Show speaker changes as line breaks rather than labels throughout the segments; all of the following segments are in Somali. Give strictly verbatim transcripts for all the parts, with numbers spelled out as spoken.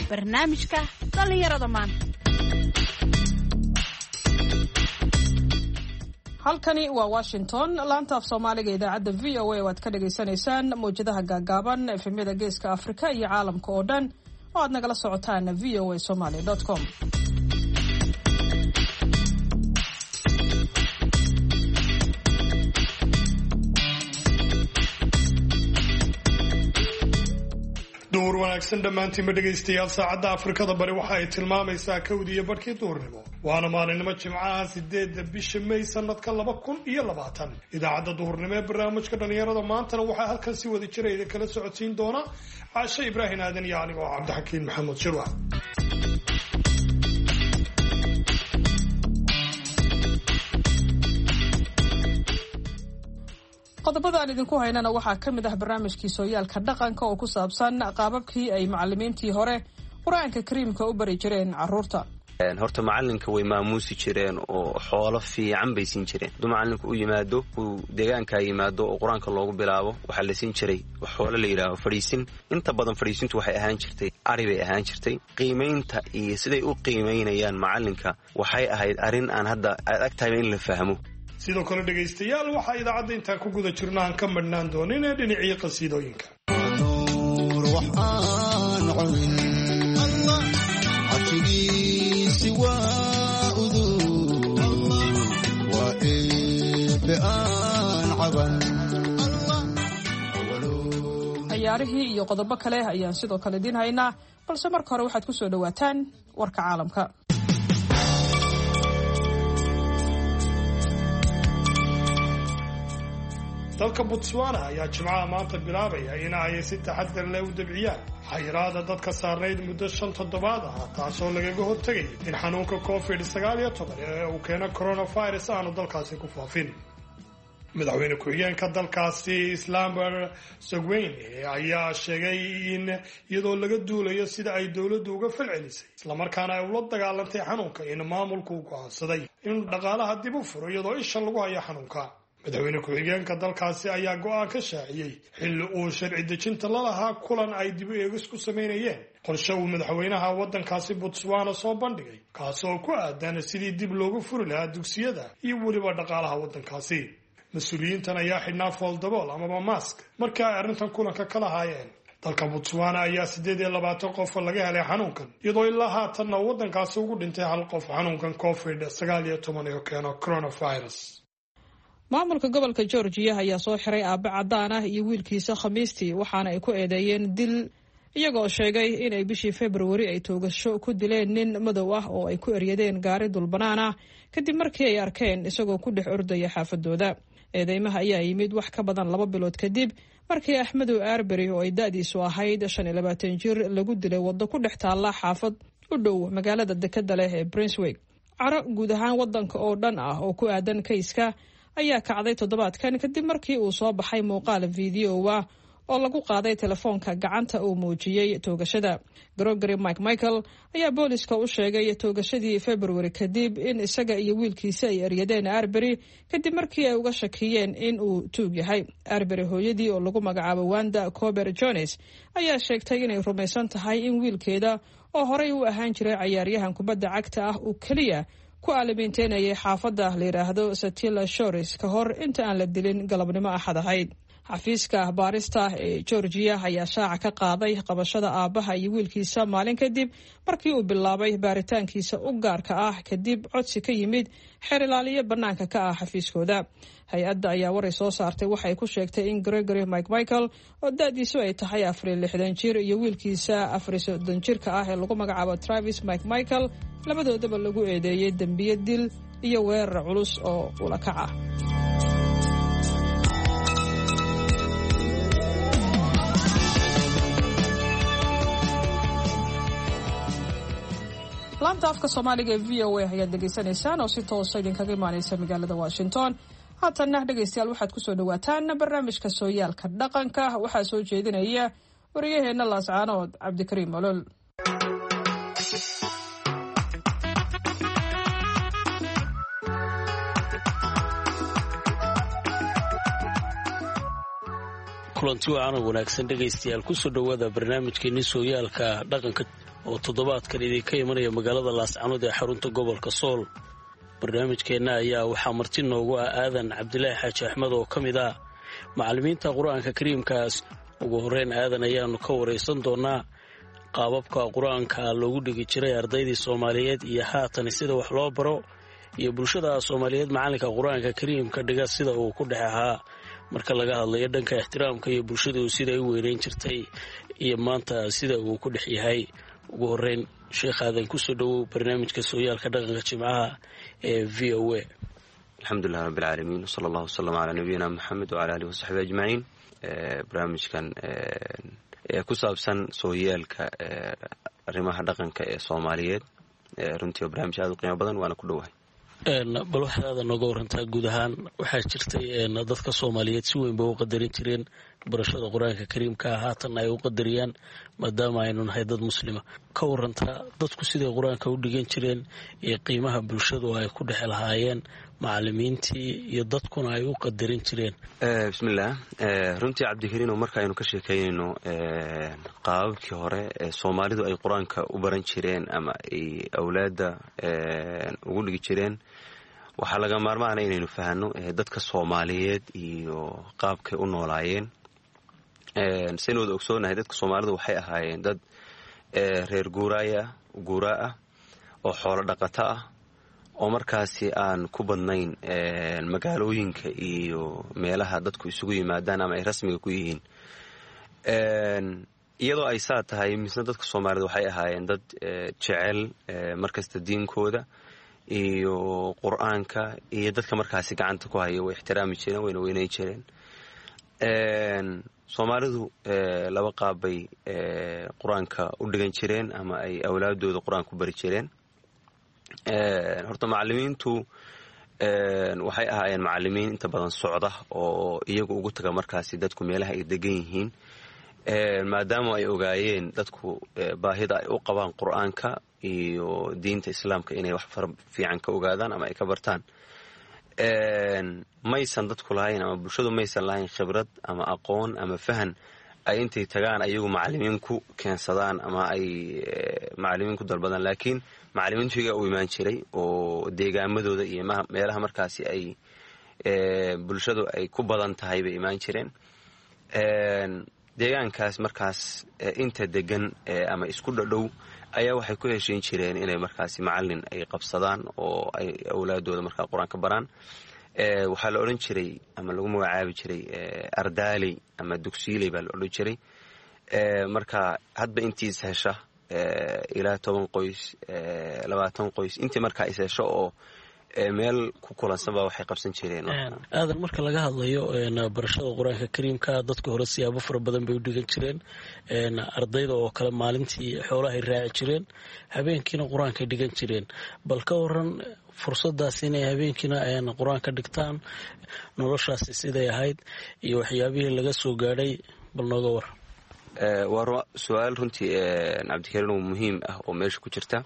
Barnaamijka dhallinyarada maanta.
Halkani waa Washington, laanta af Soomaaliga, idaacadda V O A oo aad ka dhagaysanaysaan mawjadaha gaagaaban, efemyada Geeska Afrika iyo caalamka oo dhan oo aad nagala socotaan V O A Somaly com.
Duhur wanaagsan dhammaantiinba, dhegaystayaal. Saacadda Afrikada Bari waxa ay tilmaamaysaa kowdii iyo barhkii duhurnimo, waana maalinimo Jimcaha, sideedda bisha May, sanadka laba kun iyo labaatan. Idaacadda duhurnimo ee barnaamijka dhallinyarada maantana waxaa halkan si wada jira idin kala socodsiin doona Caashe Ibraahim Aadan iyo aniga oo Cabdixakiin Maxamed Shirwax.
Qodobada aan idinku haynana waxaa ka mid ah barnaamijkii sooyaalka dhaqanka oo ku saabsan qaababkii ay macalimiintii hore Qur-aanka Kariimka u bari jireen carruurta.
Horta macalinka way maamuusi jireen oo xoolo fiican bay siin jireen. Hadduu macalinku u yimaado, uu deegaankaa yimaado oo qur-aanka loogu bilaabo, waxaa la siin jiray xoolo la yidhaaho fadhiisin. Inta badan fadhiisintu waxay ahaan jirtay ari bay ahaan jirtay. Qiimaynta iyo siday u qiimaynayaan macalinka waxay ahayd arrin aan hadda aad ag tahayba in la fahmo.
Sidoo kale, dhegaystayaal, waxaa idaacadda intaan ku guda jirno aan ka madhnaan doonin ee dhinacii qasiidooyinka.
Ciyaarihii iyo qodobo kale ayaan sidoo kale idiin haynaa, balse marka hore waxaad ku soo dhowaataan warka caalamka.
Dalka Botswana ayaa Jimcaha maanta bilaabaya in ay si taxadar leh u dabciyaan xayiraada dadka saarnayd muddo shan toddobaad ah, taasoo lagaga hortegay in xanuunka covid sagaal iyo toban ee uu keeno coronavirus aanu dalkaasi ku faafin. Madaxweyne ku-xigeenka dalkaasi Slumber Sogweyne ayaa sheegay in iyadoo laga duulayo sida ay dowladdu uga falcelisay islamarkaana ay ula dagaalantay xanuunka, in maamulku u go'aansaday in dhaqaalaha dib u furo iyadoo isha lagu hayo xanuunka. Madaxweyne ku-xigeenka dalkaasi ayaa go'aan ka shaaciyey xilli uu sharci dejinta lalahaa kulan ay dib u eegis ku samaynayeen qorshe uu madaxweynaha waddankaasi Botswana soo bandhigay, kaasoo ku aadan sidii dib loogu furi lahaa dugsiyada iyo weliba dhaqaalaha waddankaasi. Mas-uuliyiintan ayaa xidhnaa fooldabool amaba mask markii ay arrintan kulanka ka lahaayeen. Dalka Botswana ayaa siddeed iyo labaatan qof laga helay xanuunkan, iyadoo ilaa haatanna waddankaasi ugu dhintay hal qof xanuunkan covid sagaal iyo toban oo keeno coronavirus.
Maamulka gobolka Georgiya ayaa soo xiray aabe caddaan ah iyo wiilkiisa Khamiistii, waxaana ay ku eedeeyeen dil, iyagoo sheegay inay bishii Februari ay toogasho ku dileen nin madow ah oo ay ku eryadeen gaari dulbanaan ah kadib markii ay arkeen isagoo ku dhex ordaya xaafadooda. Eedeymaha ayaa yimid wax ka badan laba bilood kadib markii Axmedow Arbery oo ay da-diisu ahayd shan iyo labaatan jir lagu dilay waddo ku dhex taalla xaafad u dhow magaalada dekeda leh ee Brunswick. Caro guud ahaan waddanka oo dhan ah oo ku aadan kayska ayaa kacday toddobaadkan kadib markii uu soo baxay muuqaal fideowa oo lagu qaaday telefoonka gacanta uu muujiyey toogashada. Gregory Mike Michael ayaa booliska u sheegay toogashadii Februari kadib in isaga iyo wiilkiisa ay eryadeen Arbery kadib markii ay uga shakiyeen in uu tuug yahay. Arbery hooyadii oo lagu magacaabo Wanda Cober Jones ayaa sheegtay inay rumaysan tahay in wiilkeeda oo horey u ahaan jiray cayaaryahan kubadda cagta ah uu keliya ku aalamiinteynayay xaafadda la yidhaahdo Satilla Shores ka hor inta aan la dilin galabnimo Axad ahayd. Xafiiska baarista ee Georgiya ayaa shaaca ka qaaday qabashada aabbaha iyo wiilkiisa maalin kadib markii uu bilaabay baaritaankiisa u gaarka ah, kadib codsi ka yimid xeer ilaaliyo bannaanka ka ah xafiiskooda. Hay-adda ayaa waray soo saartay waxay ku sheegtay in Gregory Mike Michael oo da-diisu ay tahay afariyo lixdan jir iyo wiilkiisa afariyo soddon jirka ah ee lagu magacaabo Travis Mike Michael labadoodaba lagu eedeeyey dembiye dil iyo weerar culus oo ulakac ah. Laanta afka Soomaaliga ee V O A ayaad dhegaysanaysaan oo si toosa idinkaga imaaneysa magaalada Washington. Haatanna, dhegaystayaal, waxaad kusoo dhawaataan barnaamijka sooyaalka dhaqanka. Waxaa soo jeedinaya wariyaheenna Laascaanood, Cabdikariim Olol.
Kulanti wacan oo wanaagsan, dhegaystayaal, kusoo dhowaada barnaamijkeeni sooyaalka dhaqanka. Oo toddobaadkan idinka imanaya magaalada Laascanood ee xarunta gobolka Sool. Barnaamijkeenna ayaa waxaa marti noogu ah Aadan Cabdilaahi Xaaji Axmed oo ka mid ah macallimiinta Qur-aanka Kariimkaas. Ugu horreyn Aadan ayaannu ka waraysan doonaa qaababka Qur-aanka loogu dhigi jiray ardaydii Soomaaliyeed iyo haatan sida wax loo baro, iyo bulshada Soomaaliyeed macallinka Qur-aanka Kariimka dhiga sida uu ku dhex ahaa marka laga hadlayo dhanka ixtiraamka iyo bulshadu siday u weynayn jirtay iyo maanta sida uu ku dhex yahay. Ugu horeyn, Sheekh Aadan, kusoo dhowow barnaamijka Sooyaalka Dhaqanka Jimcaha ee V O A.
Alxamdulilah rabbi alcaalamiin, wsala allahu wasalam calaa nabiyina Maxamed wcala alihi wasaxbi ajmaciin. Barnaamijkan ee ku saabsan sooyaalka arrimaha dhaqanka ee Soomaaliyeed runtii waa barnaamij aad u qiimo badan, waana ku dhowahay.
Bal waxaad aadan nooga warantaa guud ahaan, waxaa jirtay dadka Soomaaliyeed si weyn bay u qadarin jireen barashada Qur-aanka Kariimka, haatan ay u qadariyaan maadaama aynu nahay dad Muslima. Ka warantaa dadku siday Qur-aanka u dhigan jireen iyo qiimaha bulshadu ay ku dhex lahaayeen macalimiintii iyo dadkuna ay u qadarin jireen.
Bismillaah. Runtii, Cabdikariino, marka aynu ka sheekeynayno qaababkii hore ee Soomaalidu ay Qur-aanka u baran jireen ama ay awlaadda ugu dhigi jireen, waxaa laga maarmaana inaynu fahanno dadka Soomaaliyeed iyo qaabkay u noolaayeen. Saynu wada ogsoonahay, dadka Soomaalidu waxay ahaayeen dad reer guuraaya guuraa ah oo xoolo dhaqato ah oo markaasi aan ku badnayn magaalooyinka iyo meelaha dadku isugu yimaadaan ama ay rasmiga ku yihiin. Iyadoo ay saa tahay, misna dadka Soomaalida waxay ahaayeen dad jecel markasta diinkooda iyo Qur-aanka, iyo dadka markaasi gacanta ku haya way ixtiraami jireen, wayna weynayn jireen. Soomaalidu laba qaab bay Qur-aanka u dhigan jireen ama ay awlaadooda Qur-aanka u bari jireen. Horta macalimiintu waxay ahaayeen macalimiin inta badan socda oo iyagu ugu taga markaasi dadku meelaha ay degan yihiin, maadaama ay ogaayeen dadku baahida ay u qabaan Qur-aanka iyo diinta Islaamka inay wax fara fiican ka ogaadaan ama ay ka bartaan. Maysan dadku lahayn ama bulshadu maysan lahayn khibrad ama aqoon ama fahan ay intay tagaan ayagu macalimiin ku keensadaan ama ay macalimiin ku dalbadaan, laakiin macalimiintu iyagaa u imaan jiray oo deegaamadooda iyo meelaha markaasi ay bulshadu ay ku badan tahay bay imaan jireen. Deegaankaas markaas inta degan ama isku dhadhow ayaa waxay ku heshiin jireen inay markaasi macalin ay qabsadaan oo ay awlaadooda markaa Qur-aan ka baraan. Waxaa la odhan jiray ama lagu magacaabi jiray ardaaley ama dugsiiley baa la odhan jiray. Marka hadba intii is hesha, ilaa toban qoys, labaatan qoys, intii markaa is hesho oo meel ku kulansan baa waxay qabsan jireen.
Aadan, marka laga hadlayo barashada Qur-aanka Kariimka, dadka hore siyaabo fara badan bay u dhigan jireen. Ardayda oo kale maalintii xoolahay raaci jireen, habeenkiina Qur-aankay dhigan jireen. Bal ka waran fursadaas inay habeenkiina Qur-aanka dhigtaan, noloshaasi siday ahayd iyo waxyaabihii laga soo gaadhay, bal nooga war.
Waa su-aal runtii, Cabdikariin, muhiim ah oo meesha ku jirta.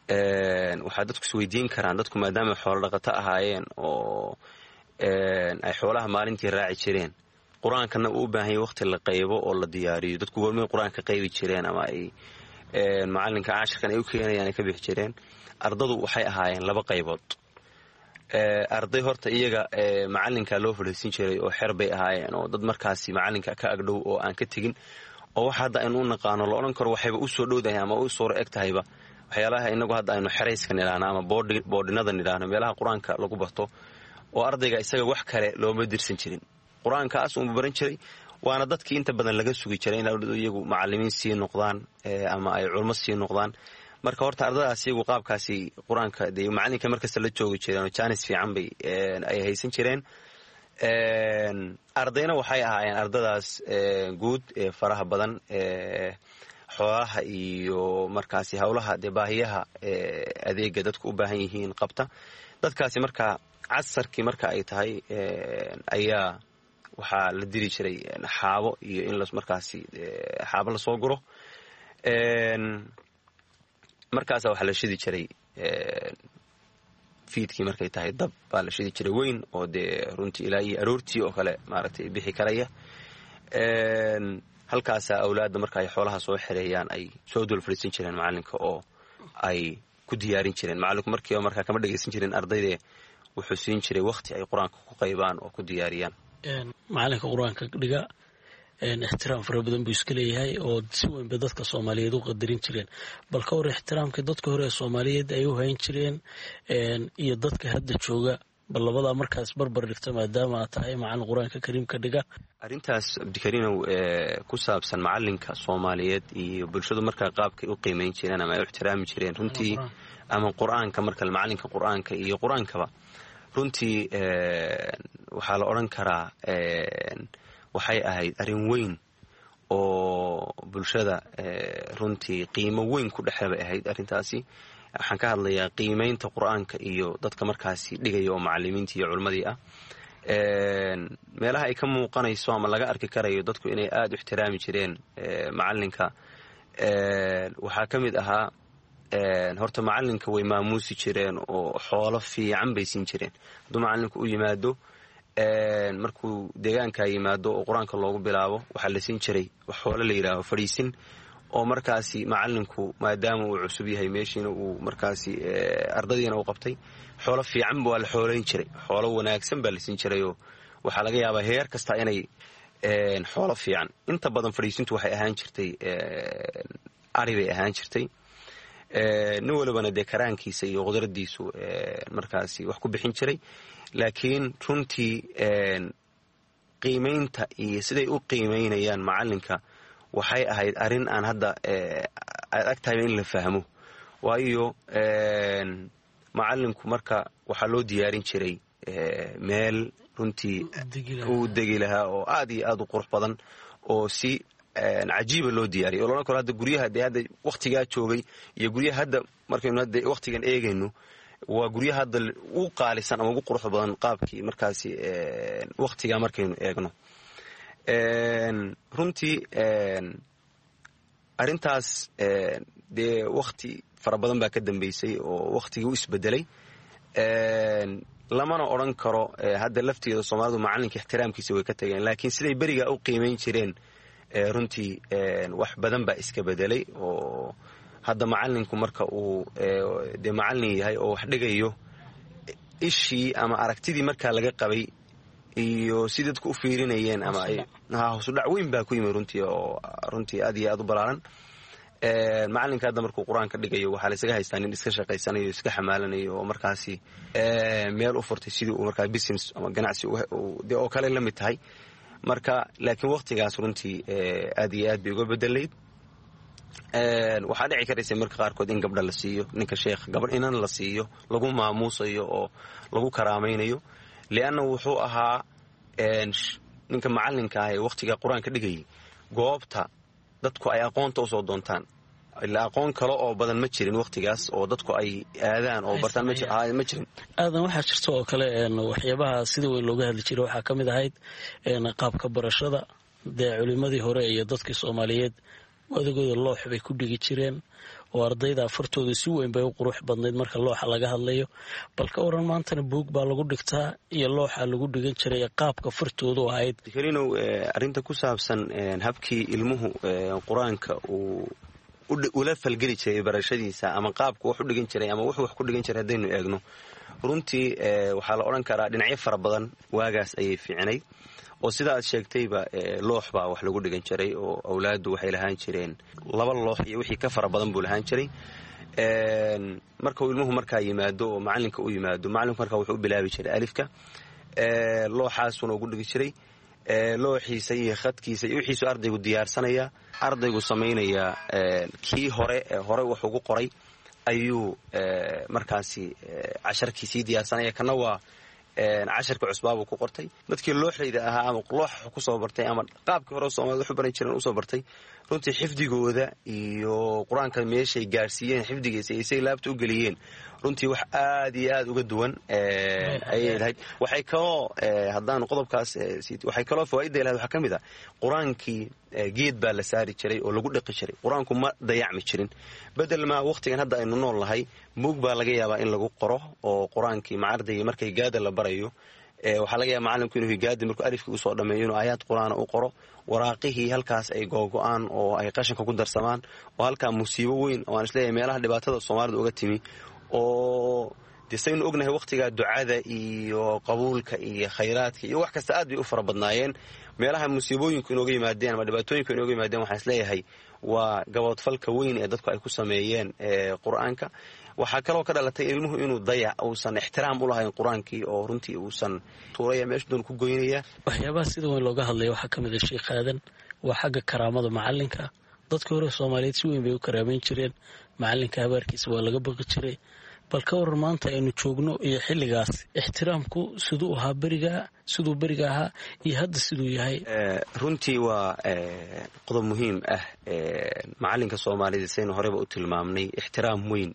Waxaa dadku isweydiin karaan, dadku maadaama xoolo dhaqato ahaayeen oo ay xoolaha maalintii raaci jireen, Qur-aankana uu u baahan yahy waqti la qaybo oo la diyaariyo, dadku goormay Qur-aanka qaybi jireen ama ay macalinka cashirkan ay u keenayaan ay ka bixi jireen? Ardadu waxay ahaayeen laba qaybood. Arday horta iyaga macalinka loo fadhiisin jiray oo xer bay ahaayeen, oo dad markaasi macalinka ka agdhow oo aan ka tegin, oo wax hadda aynu u naqaano la odhan karo waxayba u soo dhowdahay ama u suuro eg tahayba waxyaalaha inagu hadda aynu xerayska nidhaahno ama boodhinada nidhaahno, meelaha Qur-aanka lagu barto, oo ardayga isaga wax kale looma dirsan jirin, Qur-aankaas uunba baran jiray. Waana dadkii inta badan laga sugi jiray in iyagu macalimiin sii noqdaan ama ay culmo sii noqdaan. Marka horta ardadaas iyagu qaabkaasi Qur-aanka dee macalinka markasta la joogi jireen oo jaanis fiican bay ay haysan jireen. Ardayna waxay ahaayeen ardadaas guud ee faraha badan, xoolaha iyo markaasi howlaha dee baahiyaha adeega dadku u baahan yihiin qabta. Dadkaasi markaa casarkii marka ay tahay ayaa waxaa la diri jiray xaabo iyo in markaasi xaabo lasoo guro. Markaasa waxaa la shidi jiray fiidkii markay tahay dab baa la shidi jiray weyn oo dee runtii ilaa iyo aroortii oo kale maaragtay bixi karaya. Halkaasaa awlaadda marka ay xoolaha soo xereeyaan ay soo dul fadhiisan jireen macalinka oo ay ku diyaarin jireen. Macalinku markiiba markaa kama dhegaysan jirin ardayde, wuxuu siin jiray wakhti ay qur-aanka ku qaybaan oo ku diyaariyaan.
Macalinka qur-aanka dhiga ixtiraam fara badan buu iska leeyahay oo si weyn bay dadka soomaaliyeed u qadarin jireen. Bal ka hor ixtiraamkii dadka hore ee soomaaliyeed ay u hayn jireen iyo dadka hadda jooga, bal labadaa markaas barbar dhigta maadaama aad tahay macalin qur-aanka kariimka dhiga.
Arrintaas, Cabdikariinow, ku saabsan macalinka soomaaliyeed iyo bulshadu markaa qaabkay u qiimeyn jireen ama ay u ixtiraami jireen runtii, ama qur-aanka marka macalinka qur-aanka iyo qur-aankaba, runtii waxaa la odhan karaa waxay ahayd arrin weyn oo bulshada runtii qiimo weyn ku dhexe bay ahayd arrintaasi. Waxaan ka hadlayaa qiimeynta qur-aanka iyo dadka markaasi dhigaya oo macalimiintii iyo culimmadii ah. Meelaha ay ka muuqanayso ama laga arki karayo dadku inay aada u ixtiraami jireen macalinka waxaa ka mid ahaa, horta macalinka way maamuusi jireen oo xoolo fiican bay siin jireen. Hadduu macalinku u yimaado, markuu deegaanka yimaado oo qur-aanka loogu bilaabo, waxaa la siin jiray xoolo la yidhaaho fadhiisin, oo markaasi macalinku maadaama uu cusub yahay meeshiina uu markaasi ardadiina uu qabtay, xoolo fiican waa la xoolayn jiray, xoolo wanaagsan baa la siin jirayoo waxaa laga yaabaa heer kasta inay xoolo fiican. Inta badan fadhiisintu waxay ahaan jirtay ari bay ahaan jirtay. Nin walibana dee karaankiisa iyo qudradiisu markaasi wax ku bixin jiray. Laakiin runtii qiimaynta iyo siday u qiimaynayaan macalinka waxay ahayd arrin aan hadda aad ag tahayba in la fahmo, waayo macalinku marka waxaa loo diyaarin jiray meel runtii uu degi lahaa oo aad iyo aad u qurux badan oo si cajiiba loo diyaariyay, oo loodhan karo hadda guryaha dee hadda wakhtigaa joogay iyo guryaha hadda markaynu hadda wakhtigan eegayno, waa guryaha hadda ugu qaalisan ama ugu quruxda badan qaabkii markaasi wakhtigaa markaynu eegno. Runtii arrintaas dee wakhti fara badan baa ka dambeysay oo wakhtigii u isbedelay. Lamana odhan karo hadda lafteeda soomaalidu macalinka ixtiraamkiisa way ka tageen, laakiin siday berigaa u qiimayn jireen runtii wax badan baa iska bedelay, oo hadda macalinku marka uu dee macalin yahay oo wax dhigayo, ishii ama aragtidii markaa laga qabay iyo si dadku u fiirinayeen ama hoosudhac weyn baa ku yimi runtii, oo runtii aad iyo aad u balaaran. Macalinka hadda markuu qur-aanka dhigayo waxaa laysaga haystaa nin iska shaqaysanayo, iska xamaalanayo oo markaasi meel u furtay sidii uu markaa business ama ganacsi dee oo kale la mid tahay marka. Laakiin wakhtigaas runtii aad iyo aad bay uga bedelayd. Waxaa dhici karaysa marka qaarkood in gabdha la siiyo ninka sheekh, gabadh inan la siiyo lagu maamuusayo oo lagu karaamaynayo, lianna wuxuu ahaa ninka macalinka ah ee wakhtiga qur-aanka dhigayay goobta dadku ay aqoonta usoo doontaan, ilaa aqoon kale oo badan ma jirin wakhtigaas oo dadku ay aadaan oo bartaan ma jirin.
Aadan, waxaa jirta oo kale waxyaabaha sida weyn looga hadli jiray waxaa ka mid ahayd qaabka barashada. Dee culimadii hore iyo dadkii soomaaliyeed adagooda loox bay ku dhigi jireen oo ardayda afartooda si weyn bay u qurux badnayd marka looxa laga hadlayo. Bal ka waran maantana buug baa lagu dhigtaa iyo looxa lagu dhigan jiray qaabka fartoodu ahayd?
Karinow, arrinta ku saabsan habkii ilmuhu qur-aanka uu ula falgeli jiray barashadiisa ama qaabku wax u dhigan jiray ama wuxuu wax ku dhigan jiray haddaynu eegno, runtii waxaa la odhan karaa dhinacyo fara badan waagaas ayay fiicnayd, oo sida aad sheegtayba loox baa wax lagu dhigan jiray, oo awlaaddu waxay lahaan jireen laba loox iyo wixii ka fara badan buu lahaan jiray. Markau ilmuhu markaa yimaado oo macalinka u yimaado, macalinku markaa wuxuu u bilaabi jiray alifka, looxaasuna ugu dhigi jiray looxiisa iyo khadkiisa iyo wixiisu ardaygu diyaarsanaya, ardaygu samaynayaa kii hore hore wax ugu qoray ayuu markaasi casharkii sii diyaarsanaya, kana waa casharka cusbaabuu ku qortay. Dadkii looxayda ahaa ama looxa kusoo bartay ama qaabkii hore soomaalida waxu baran jireen usoo bartay, runtii xifdigooda iyo qur-aanka meeshay gaarsiiyeen xifdigiisa iyo say laabta u geliyeen runtii wax aad iyo aad uga duwan ayay lahayd. Waxay kaloo haddaanu qodobkaas, waxay kaloo fawaaidda lahayd waxaa ka mid ah qur-aankii geed baa la saari jiray oo lagu dhaqi jiray, qur-aanku ma dayacmi jirin. Bedel maa wakhtigan hadda aynu nool nahay, buug baa laga yaabaa in lagu qoro oo qur-aankii macardaygii markay gaada la barayo Waxaa laga yaaba macalinku inuu higaadi markuu alifkii usoo dhameeyo inuu aayaad qur-aana u qoro, waraaqihii halkaas ay googo-aan oo ay qashinka ku darsamaan, oo halkaa musiibo weyn oo aan isleeyahay meelaha dhibaatada soomaalida uga timi. Oo dee saynu ognahay wakhtigaa ducada iyo qabuulka iyo khayraadka iyo wax kasta aad bay u fara badnaayeen. Meelaha musiibooyinku inooga yimaadeen ama dhibaatooyinku inooga yimaadeen, waxaan isleeyahay waa gaboodfalka weyn ee dadku ay ku sameeyeen qur-aanka. Waxaa kaloo ka dhalatay ilmuhu inuu dayac, uusan ixtiraam u lahayn qur-aankii, oo runtii uusan tuuraya meesha doon ku goynaya.
Waxyaabaha sida weyn looga hadlaya waxaa ka mid a, Sheekh Aadan, waa xagga karaamada macalinka. Dadka hore Soomaaliyeed si weyn bay u karaameyn jireen macalinka, habaarkiisa waa laga baqi jiray. Bal ka waran maanta aynu joogno iyo xilligaas, ixtiraamku siduu ahaa beriga, siduu beriga ahaa iyo hadda siduu yahay?
Runtii waa qodob muhiim ah. Macalinka soomaalida, saynu horeyba u tilmaamnay, ixtiraam weyn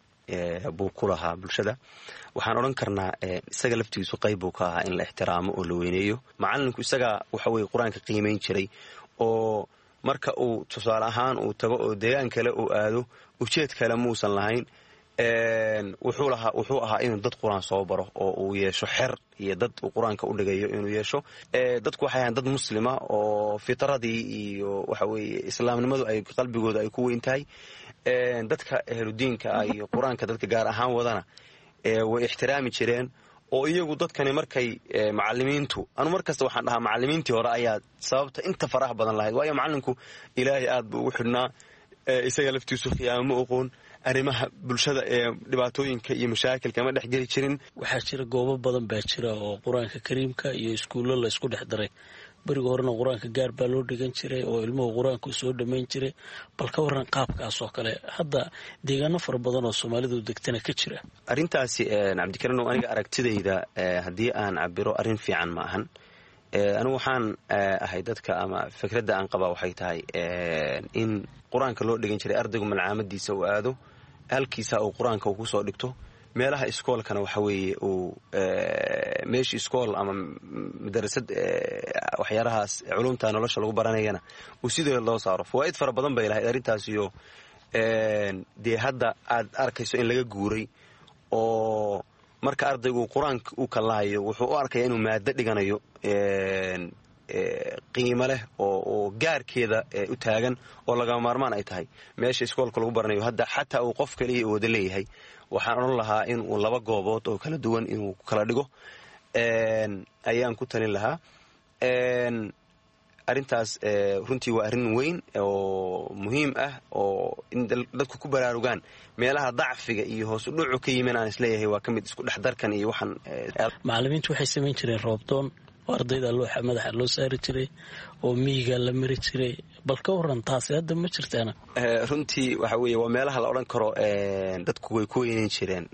buu ku lahaa bulshada. Waxaan odhan karnaa isaga laftigiisu qayb buu ka ahaa in la ixtiraamo oo la weyneeyo macalinku. Isaga waxa weye qur-aanka qiimayn jiray, oo marka uu tusaale ahaan uu tago oo deegaan kale uu aado, ujeed kale muusan lahayn. Wuxuu lahaa, wuxuu ahaa inuu dad qur-aan soo baro oo uu yeesho xer iyo dad uu qur-aanka u dhigayo inuu yeesho. Dadku waxay ahayn dad muslima oo fitradii iyo waxa weeye islaamnimadu ay qalbigooda ay ku weyn tahay. Dadka ehludiinka ah iyo qur-aanka dadka gaar ahaan wadana way ixtiraami jireen, oo iyagu dadkani markay macalimiintu, anu mar kasta waxaan dhahaa macalimiintii hore ayaa sababta inta faraha badan lahayd, waayo macalinku Ilaahay aad buu ugu xidhnaa, isaga laftiisu khiyaamo ma oqoon, arrimaha bulshada ee dhibaatooyinka iyo mashaakilka ma dhex geli jirin.
Waxaa jira goobo badan baa jira oo qur-aanka kariimka iyo iskuullo la isku dhex daray. Beriga horena qur-aanka gaar baa loo dhigan jiray oo ilmuhu qur-aanku soo dhammayn jiray. Bal ka waran qaabkaas oo kale hadda deegaano fara badan oo soomaalidu degtana ka jira?
Arrintaasi, Cabdikariinow, aniga aragtidayda haddii aan cabiro, arrin fiican ma ahan. Anigu waxaan ahay dadka ama fikradda aan qabaa waxay tahay in qur-aanka loo dhigan jiray ardaygu malcaamadiisa uu aado, halkiisa uu qur-aanka uu kusoo dhigto. Meelaha iskoolkana waxa weeye uu meeshii iskool ama madarasad waxyaalahaas culumta nolosha lagu baranayana uu sidoo loo saaro. Fawaa'id fara badan bay lahayd arrintaasiyo. Dee hadda aad arkayso in laga guuray, oo marka ardaygu qur-aanka uu kallahayo wuxuu u arkaya inuu maado dhiganayo qiimo leh oo gaarkeeda u taagan oo lagama maarmaan ay tahay. Meesha iskoolka lagu baranayo hadda xataa uu qof kaliya wada leeyahay, waxaan odhan lahaa inuu laba goobood oo kala duwan inuu kala dhigo ayaan ku talin lahaa. Arrintaas runtii waa arrin weyn oo muhiim ah oo in dadku ku baraarugaan meelaha dacfiga iyo hoos u dhucu ka yimin aan isleeyahay waa ka mid isku dhexdarkan iyo waxaan.
Macallimiintu waxay samayn jireen roobdoon oo ardayda looxa madaxa loo saari jiray oo miyiga la mari jiray. Bal ka waran taasi, hadda ma jirtaana?
Runtii waxa weeye waa meelaha la odhan karo dadku way ku weyneyn jireen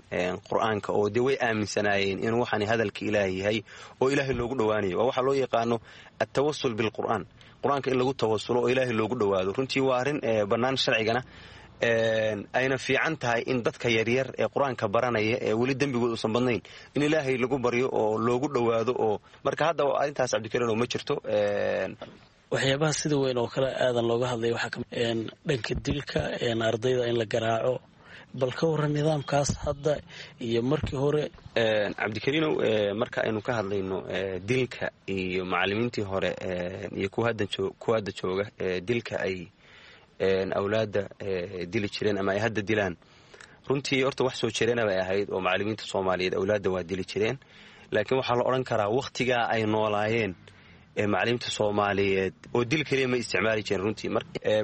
qur-aanka, oo dee way aaminsanaayeen inuu waxaani hadalka Ilaahay yahay oo Ilaahay loogu dhowaanayo. Waa waxaa loo yaqaano altawasul bilqur'aan, qur-aanka in lagu tawasulo oo Ilaahay loogu dhowaado. Runtii waa arrin bannaan sharcigana, ayna fiican tahay in dadka yaryar ee qur-aanka baranaya ee weli dembigood uusan badnayn in Ilaahay lagu baryo oo loogu dhowaado. Oo marka hadda arrintaas, Cabdikariinow, ma jirto.
Waxyaabaha sida weyn oo kale aadan looga hadlaya waxaa dhanka dilka ardayda in la garaaco. Bal ka waran nidaamkaas hadda iyo markii hore?
Cabdikariinow, marka aynu ka hadlayno dilka iyo macalimiintii hore iyo kuwa hadda jooga, dilka ay awlaadda dili jireen ama ay hadda dilaan, runtii horta wax soo jireena bay ahayd oo macalimiinta Soomaaliyeed awlaadda waa dili jireen. Laakiin waxaa la odhan karaa wakhtigaa ay noolaayeen macalimiinta Soomaaliyeed oo dil keliya ma isticmaali jireen. Runtii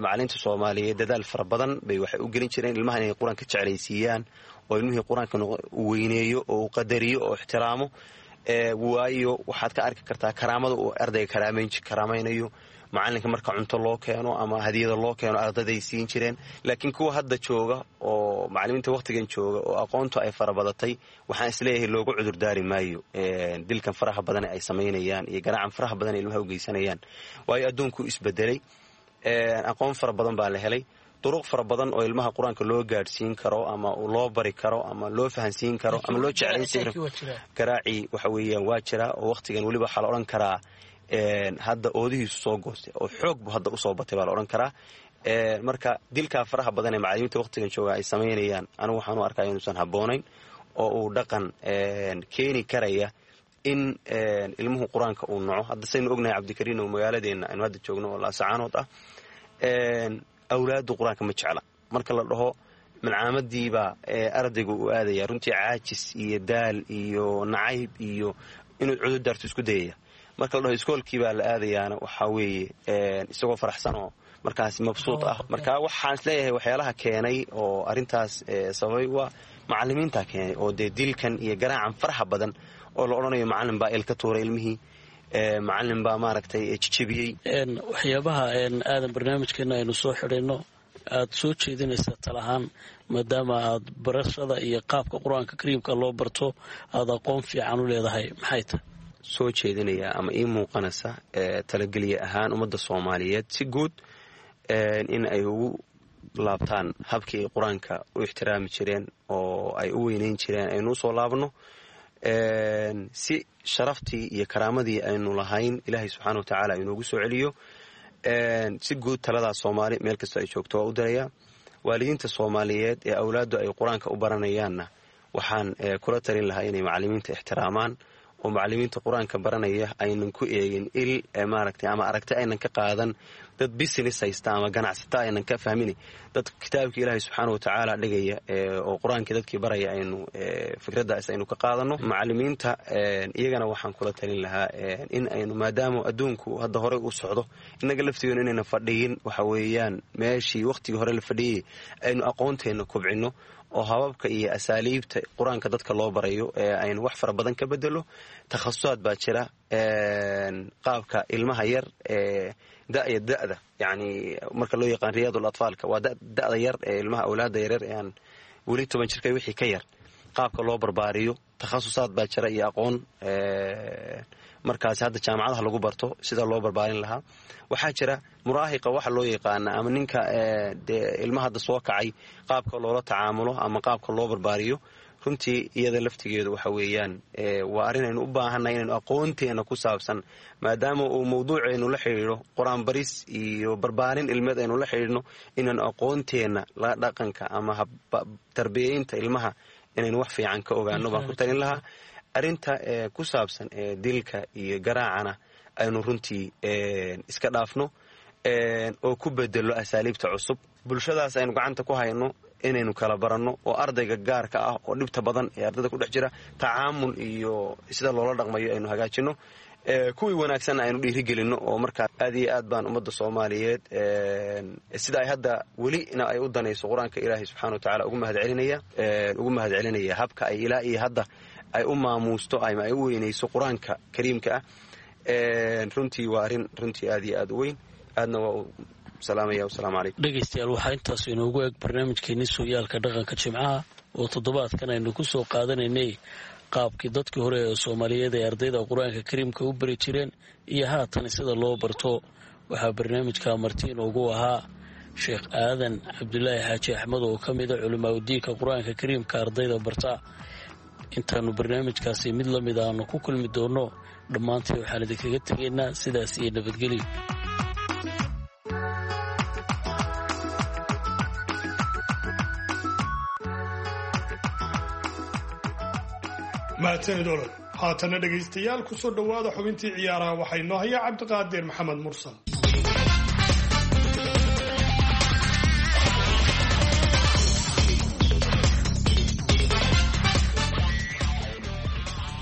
macalimiinta Soomaaliyeed dadaal fara badan bay waxay u gelin jireen ilmaha inay qur-aanka jeclaysiiyaan oo ilmihii qur-aanka u weyneeyo oo u qadariyo oo ixtiraamo. Waayo waxaad ka arki kartaa karaamada uu ardayga karaamaynayo macalinka marka cunto loo keeno ama hadiyada loo keeno ardayday siin jireen. Laakiin kuwa hadda jooga oo macalimiinta wakhtigan jooga oo aqoontu ay farabadatay, waxaan isleeyahay loogu cudurdaari maayo dilkan faraha badan ay samaynayaan iyo garaacan faraha badan ay ilmaha u geysanayaan. Waayo adduunku isbedelay, aqoon fara badan baa la helay, duruq fara badan oo ilmaha qur-aanka loo gaadhsiin karo ama loo bari karo ama loo fahansiin karo ama loo jeclaysiin karo. Garaacii waxa weeyaan waa jiraa, oo wakhtigan weliba waxaa la odhan karaa hadda oodihiisu soo goostay oo xoog bu hadda usoo batay baa la odhan karaa. Marka dilkaa faraha badan ee macalimiinta wakhtigan jooga ay samaynayaan, anigu waxaan u arkaa inuusan habboonayn oo uu dhaqan keeni karaya In ilmuhu qur-aanka uu naco. Hadda saynu ognahay, Cabdikariin, oo magaaladeenna aynu hadda joogno oo Laasacaanood ah, awlaaddu qur-aanka ma jecla. Marka la dhaho malcaamadiibaa ardayga uu aadaya, runtii caajis iyo daal iyo nacayb iyo inuu cududaarto isku dayaya. Marka la dhaho iskoolkiibaa la aadayaana, waxaa weeye isagoo faraxsanoo markaas mabsuud ah. Marka waxaan isleeyahay waxyaalaha keenay oo arrintaas sababay waa macalimiinta keenay, oo dee dilkan iyo garaacan faraxa badan oo la odhanayo macalin baa il ka tuuray ilmihii, macalin baa maaragtay jijebiyey.
Waxyaabaha aadan barnaamijkeena aynu soo xidhayno aad soo jeedinaysaa talahaan, maadaama aad barashada iyo qaabka qur-aanka kariimka loo barto aada aqoon fiican u leedahay, maxay tahay?
Soo jeedinaya ama ii muuqanaysa talageliye ahaan ummadda Soomaaliyeed si guud in ay ugu laabtaan habkii ay qur-aanka u ixtiraami jireen oo ay u weyneyn jireen, aynu usoo laabno si sharaftii iyo karaamadii aynu lahayn Ilaahay subxaana wa tacaala inoogu soo celiyo. Si guud taladaas Soomaali meel kastoo ay joogto waa u dirayaa. Waalidiinta Soomaaliyeed ee awlaaddu ay qur-aanka u baranayaanna waxaan kula talin lahaa inay macalimiinta ixtiraamaan, oo macalimiinta qur-aanka baranaya aynan ku eegin il maaragtay ama aragti aynan ka qaadan dad business haysta ama ganacsata aynan ka fahmin, dad kitaabkii Ilaahay subxaana wa tacaala dhigaya oo qur-aankii dadkii baraya aynu fikraddaas aynu ka qaadano. Macalimiinta iyagana waxaan kula talin lahaa in aynu, maadaama adduunku hadda horey u socdo, innaga laftigeenu inayna fadhiyin, waxa weeyaan meeshii wakhtigii hore la fadhiyey, aynu aqoonteenna kobcinno oo hababka iyo asaaliibta qur-aanka dadka loo barayo ee aynu wax fara badan ka bedelo. Takhasusaad baa jira, qaabka ilmaha yar ee da'ya da'da, yacni marka loo yaqaan riyaadul atfaalka, waa da'da yar ee ilmaha, awlaadda yaryar ee aan weli toban jirka wixii ka yar, qaabka loo barbaariyo takhasusaad baa jira iyo aqoon markaasi hadda jaamacadaha lagu barto sida loo barbaarin lahaa. Waxaa jira muraahiqa waxa loo yaqaana ama ninka dee ilmaha hadda soo kacay, qaabka loola tacaamulo ama qaabka loo barbaariyo. Runtii iyada laftigeedu waxa weeyaan waa arrin aynu u baahannahay inaynu aqoonteena ku saabsan, maadaama uu mawduucaynu la xidhiidho qur-aan baris iyo barbaarin ilmeed aynu la xidhiidhno, inaynu aqoonteenna la dhaqanka ama tarbiyeynta ilmaha inaynu wax fiican ka ogaano baan ku talin lahaa. Arrinta ku saabsan dilka iyo garaacana aynu runtii iska dhaafno oo ku bedelo asaaliibta cusub. Bulshadaas aynu gacanta ku hayno inaynu kala baranno, oo ardayga gaarka ah oo dhibta badan ee ardayda ku dhex jira tacaamul iyo sida loola dhaqmayo aynu hagaajino, kuwii wanaagsanna aynu dhiirigelinno. Oo markaa aad iyo aad baan ummadda Soomaaliyeed sida ay hadda welina ay u danayso qur-aanka Ilaahay subxana wa tacala ugu mahadcelinaya ugu mahadcelinaya habka ay ilaa iyo hadda ay u maamuusto ama ay u weynayso qur-aanka kariimka ah. Runtii waa arrin runtii aad iyo aad u weyn, aadna waa u salaamaya. Wasalaamu calaykum.
Dhegaystayaal, waxaa intaas inoogu eg barnaamijkeenii sooyaalka dhaqanka Jimcaha oo toddobaadkan aynu ku soo qaadanaynay qaabkii dadkii hore ee Soomaaliyeed ay ardayda qur-aanka kariimka u bari jireen iyo haatan sida loo barto. Waxaa barnaamijka marti inoogu ahaa Sheekh Aadan Cabdulaahi Xaaji Axmed oo ka mida culimaadudiinka qur-aanka kariimka ardayda barta. Intaanu barnaamijkaasi mid la mid aanu ku kulmi doonno, dhammaantii waxaan idinkaga tegaynaa sidaas iyo nabadgelyo.
Mahadsanid Olol. Haatana dhegaystayaal, kusoo dhowaada xubintii ciyaaraha. Waxaa inoo haya Cabdiqaadir Maxamed Mursal.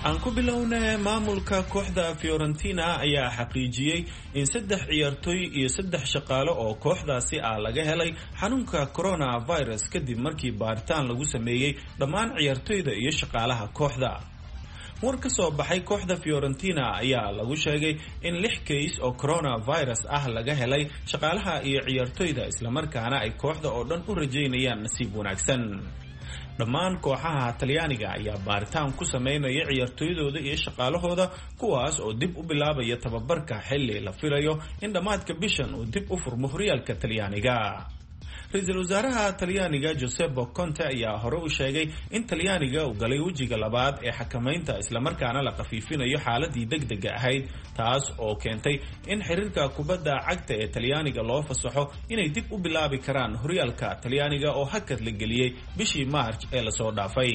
Aan ku bilowna, maamulka kooxda Fiorentina ayaa xaqiijiyey in saddex ciyaartooy iyo saddex shaqaale oo kooxdaasi ah laga helay xanuunka coronavirus, kadib markii baaritaan lagu sameeyey dhammaan ciyaartooyda iyo shaqaalaha kooxda. War ka soo baxay kooxda Fiorentina ayaa lagu sheegay in lix kays oo coronavirus ah laga helay shaqaalaha iyo ciyaartooyda, islamarkaana ay kooxda oo dhan u rajaynayaan nasiib wanaagsan. Dhammaan kooxaha Talyaaniga ayaa baaritaan ku sameynaya ciyaartooydooda iyo shaqaalahooda, kuwaas oo dib u bilaabaya tababarka xilli la filayo in dhammaadka bishan uu dib u furmo horyaalka Talyaaniga. Ra-iisul wasaaraha Talyaaniga Giuseppe Conte ayaa hore u sheegay in Talyaaniga uu galay wejiga labaad ee xakamaynta, islamarkaana la khafiifinayo xaaladii degdega ahayd, taas oo keentay in xiriirka kubadda cagta ee Talyaaniga loo fasaxo inay dib u bilaabi karaan horyaalka Talyaaniga oo hakad la geliyey bishii Maarj ee lasoo dhaafay.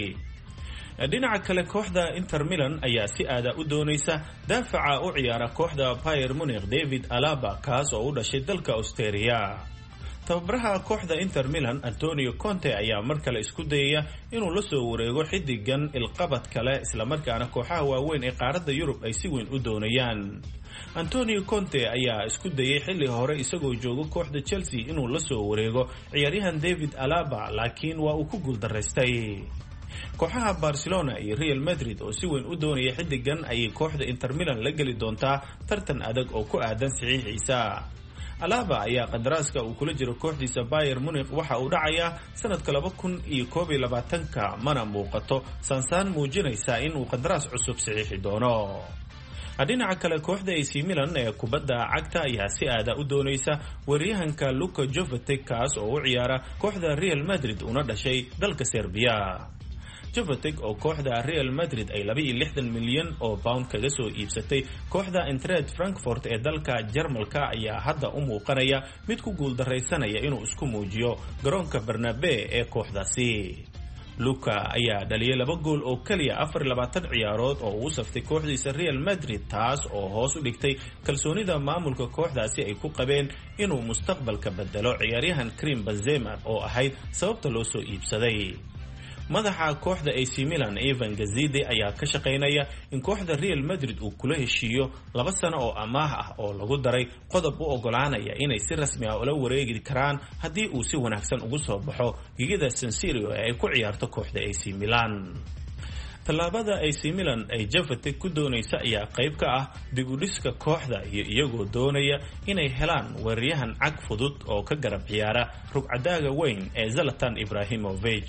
Dhinaca kale, kooxda Inter Milan ayaa si aada u doonaysa daafaca u ciyaara kooxda Bayern Munich David Alaba, kaas oo u dhashay dalka Australia. Tababaraha kooxda Inter Milan Antonio Conte ayaa mar kale isku dayaya inuu la soo wareego xiddigan ilqabad kale, islamarkaana kooxaha waaweyn ee qaaradda Yurub ay si weyn u doonayaan. Antonio Conte ayaa isku dayay xilli hore isagoo jooga kooxda Chelsea inuu la soo wareego ciyaaryahan David Alaba, laakiin waa uu ku guuldaraystay. Kooxaha Barcelona iyo Real Madrid oo si weyn u doonaya xiddigan ayay kooxda Inter Milan la geli doontaa tartan adag oo ku aadan saxiixiisa. Alaba ayaa qadaraaska uu kula jiro kooxdiisa Bayern Munich waxa uu dhacayaa sanadka laba kun iyo koob iyo labaatanka, mana muuqato saansaan muujinaysa inuu qadaraas cusub saxiixi doono. Dhinaca kale, kooxda A C Milan ee kubadda cagta ayaa si aada u doonaysa weeraryahanka Luka Jovetic, kaas oo u ciyaara kooxda Real Madrid una dhashay dalka Serbia. Jovetic oo kooxda Real Madrid ay laba iyo lixdan milyan oo pound kaga soo iibsatay kooxda Eintracht Frankfurt ee dalka Jarmalka ayaa hadda u muuqanaya mid ku guuldaraysanaya inuu isku muujiyo garoonka Bernabeu ee kooxdaasi. Luka ayaa dhaliyay laba gool oo keliya afar iyo labaatan ciyaarood oo uu saftay kooxdiisa Real Madrid, taas oo hoos u dhigtay kalsoonida maamulka kooxdaasi ay ku qabeen inuu mustaqbalka bedelo ciyaaryahan Karim Benzema oo ahayd sababta loo soo iibsaday. Madaxa kooxda A C Milan Ivan Gazidi ayaa ka shaqaynaya in kooxda Real Madrid uu kula heshiiyo laba sano oo amaah ah oo lagu daray qodob u ogolaanaya inay si rasmi ah ula wareegi karaan haddii uu si wanaagsan ugu soo baxo gigida San Siro ee ay ku ciyaarto kooxda A C Milan. Tallaabada A C Milan ay Jovetic ku doonaysa ayaa qayb ka ah dib u dhiska kooxda iyo iyagoo doonaya inay helaan weeraryahan cag fudud oo ka garab ciyaara rugcadaaga weyn ee Zlatan Ibrahimovic.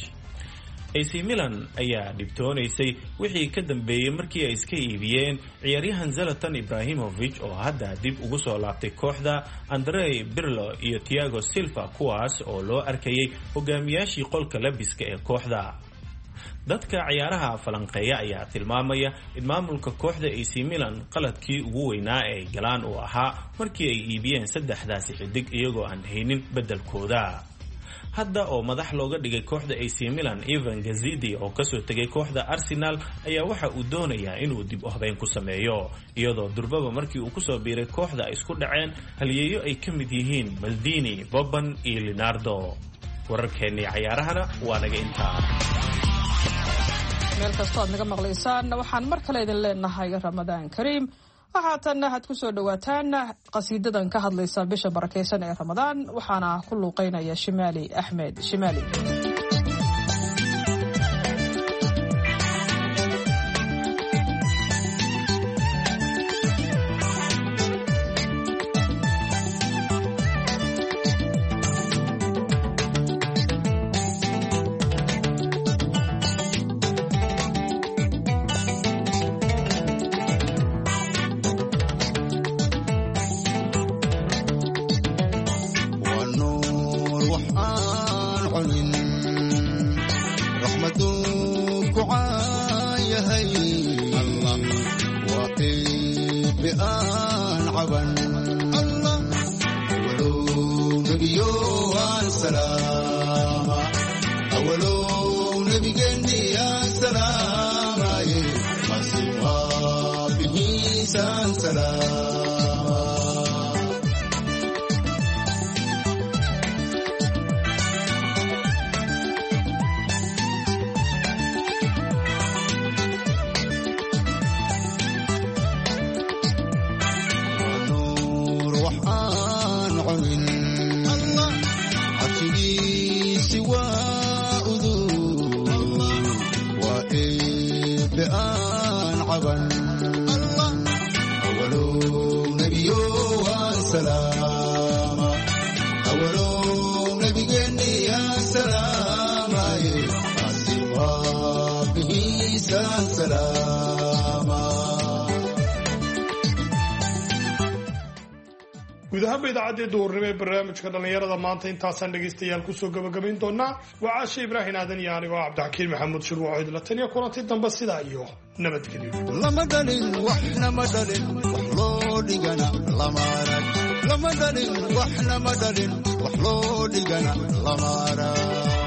A C Milan ayaa dhibtoonaysay wixii ka dambeeyey markii ay iska iibiyeen ciyaaryahan Zlatan Ibrahimovic oo hadda dib ugu soo laabtay kooxda Andrei Pirlo iyo Thiago Silva, kuwaas oo loo arkayay hogaamiyaashii qolka labiska ee kooxda. Dadka ciyaaraha falanqeeya ayaa tilmaamaya in maamulka kooxda A C Milan qaladkii ugu weynaa ee ay galaan uu ahaa markii ay iibiyeen saddexdaasi xidig iyagoo aan haynin beddelkooda. Hadda oo madax looga dhigay kooxda A C Milan Ivan Gazidi oo kasoo tegay kooxda Arsenal ayaa waxa uu doonayaa inuu dib u habeyn ku sameeyo, iyadoo durbaba markii uu kusoo biiray kooxda ay isku dhaceen halyeeyo ay ka mid yihiin Maldini, Boban iyo Leonardo. Wararkeennii cayaarahana waa naga intaa.
Meel kastoo aad naga maqlaysaan, waxaan mar kale idin leenahay Ramadaan Kariim. Waxaatanna waxaad ku soo dhowaataan qasiidadan ka hadlaysa bisha barakaysan ee Ramadaan, waxaana ku luuqeynaya Shimaali Axmed Shimaali.
Guud ahaanba idaacaddii duhurnimo ee barnaamijka dhallinyarada maanta intaasaan dhegaystayaal kusoo gabagabayn doonaa. Waa Caashe Ibraahin Aadan iyo anigoo Cabdixakiin Maxamuud Shirwaco idla taniya kulanti dambe, sidaa iyo nabadgelyo.
Lama dhalin waxna ma dhalin, wax loo dhigana lama arag. Lama dhalin waxna ma dhalin, wax loo dhigana lama arag.